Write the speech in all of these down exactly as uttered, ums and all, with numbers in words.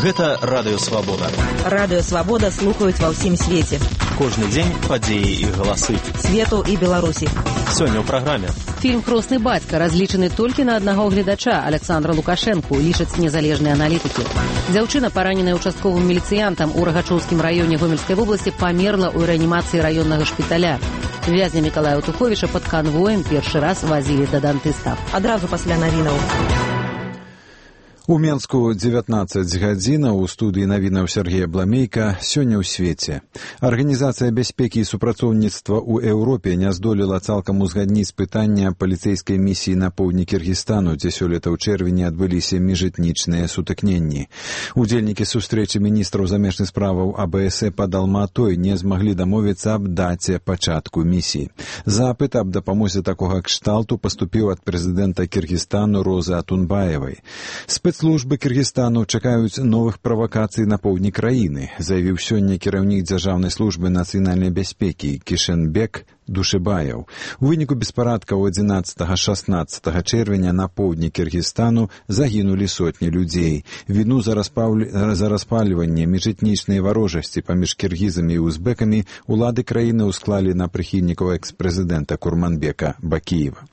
Гэта Радыё Свабода. Радыё Свабода слухаюць ва ўсім свеце. Кожны дзень падзеі і галасы. Свету і Беларусі. Сёння ў праграме. Фільм «Хросны бацька» разлічаны толькі на аднаго гледача Александра Лукашэнку, лічаць незалежныя аналітыкі. Дзяўчына, параненая участковым міліцыянтам у Рагачоўскім раёне Гомельскай вобласці, памерла ў рэанімацыі раённага шпіталя. Вязня Мікалая Туховіча пад канвоем першы раз вазілі да дантыста. Адразу пасля навінаў. У Менску дзевятнаццаць гадзінаў, у студыі навінаў Сергея Бламейка. Сёння ў свеце. Арганізацыя бяспекі і супрацоўніцтва ў Еўропе не здолела цалкам узгадніць пытання паліцэйскай місіі на поўдні Кіргізстану, дзе сёлета ў чэрвені адбыліся міжэтнічныя сутыкненні. Удзельнікі сустрэчы міністраў замежных справаў АБС пад Алматой не змаглі дамовіцца аб даце пачатку місіі. Запыт аб дапамозе такога кшталту паступіў ад прэзідэнта Кіргізстану Розы Атунбаевай. Спецслужбы Кіргізстану чакаюць новых правакацый на поўдні краіны, заявіў сёння кіраўнік дзяржаўнай службы нацыянальнай бяспекі Кішэнбек Душэбаяў. У выніку беспарадкаў адзінаццатага-шаснаццатага чэрвеня на поўдні Кіргізстану загінулі сотні людзей. Віну за, распаўль... за распальванне міжэтнічнай варожасці паміж кіргізамі і узбекамі улады краіны ўсклалі на прыхільнікаў экс-прэзідэнта Курманбека Бакіева.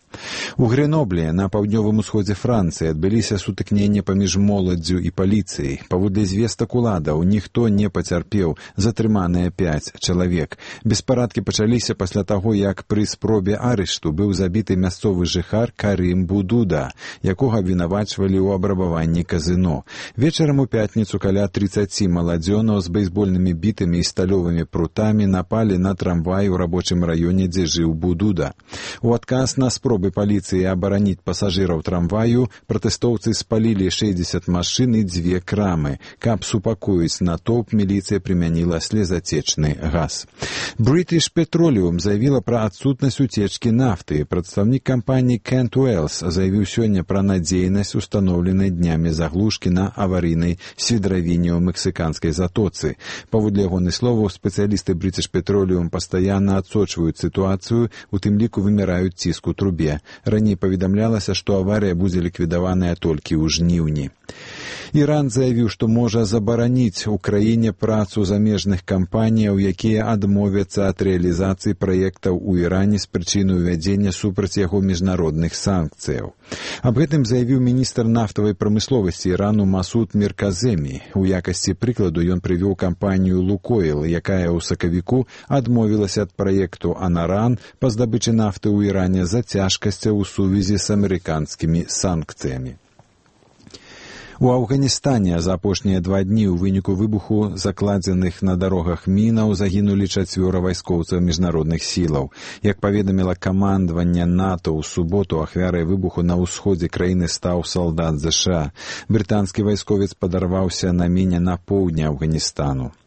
У Греноблі, на паўднёвым усходзе Францыі, адбыліся сутыкненні паміж моладдзю і паліцыяй. Паводле звестак уладаў, ніхто не пацярпеў, затрыманыя пяць чалавек. Беспарадкі пачаліся пасля таго, як пры спробе арышту быў забіты мясцовы жыхар Карым Будуда, якога абвінавачвалі ў абрабаванні казыно. Вечарам у пятніцу каля трыццаці маладзёнаў з бейсбольнымі бітамі і сталёвымі прутамі напалі на трамвай у рабочым раёне, дзе жыў Будуда. У адказ на спробу паліцыі абараніць пасажыраў трамваю, пратэстоўцы спалілі шэсцьдзесят машын і дзве крамы. Каб супакоіць натоўп, міліцыя прымяніла слезацечны газ. British Petroleum заявіла пра адсутнасць уцечкі нафты. Прадстаўнік кампаніі Kent Wells заявіў сёння пра надзейнасць устаноўленай днямі заглушкі на аварыйнай свідравіне ў мексіканскай затоцы. Паводле ягоных словаў, спецыялісты British Petroleum пастаянна адсочваюць сітуацыю, у тым ліку вымяраюць ціск у трубе. Раней паведамлялася, што аварыя будзе ліквідаваная толькі ў жніўні. Іран заявіў, што можа забараніць у краіне працу замежных кампаніяў, якія адмовяцца ад рэалізацыі праектаў у Іране з прычыны ўвядзення супраць яго міжнародных санкцыяў. Аб гэтым заявіў міністр нафтавай прамысловасці Ірану Масуд Мірказемі. У якасці прыкладу ён прывёў кампанію «Лукойл», якая ў сакавіку адмовілася ад праекту «Анаран» па здабычы нафты ў Іране за цяжкасцяў у сувязі з амерыканскімі санкцыямі. У Афганістане за апошнія два дні ў выніку выбуху закладзеных на дарогах мінаў загінулі чацвёра вайскоўцаў міжнародных сілаў. Як паведаміла камандаванне НАТО ў суботу, ахвярай выбуху на ўсходзе краіны стаў салдат ЗША. Брытанскі вайсковец падарваўся на міне на поўдні Афганістану.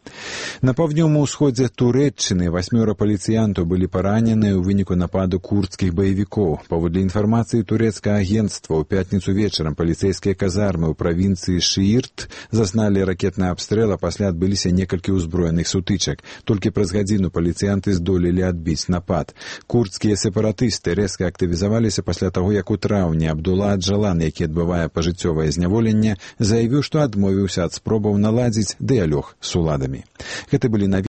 На паўднёвым усходзе Турэччыны васьмёра паліцыянтаў былі паранены ў выніку нападу курдскіх баевікоў. Паводле інфармацыі турэцкага агенцтва, ў пятніцу вечарам паліцэйскія казармы ў правінцыі Шиірт зазналі ракетны абстрэл, а пасля адбыліся некалькі ўзброеных сутычак. Толькі праз гадзіну паліцыянты здолелі адбіць напад. Курдскія сепаратысты рэзка актывізаваліся пасля таго, як у траўні Абдулла Аджалан, які адбывае пажыццёвае зняволенне, заявіў, што адмовіўся ад спробаў наладзіць дыялог з уладамі. Гэта былі навіны.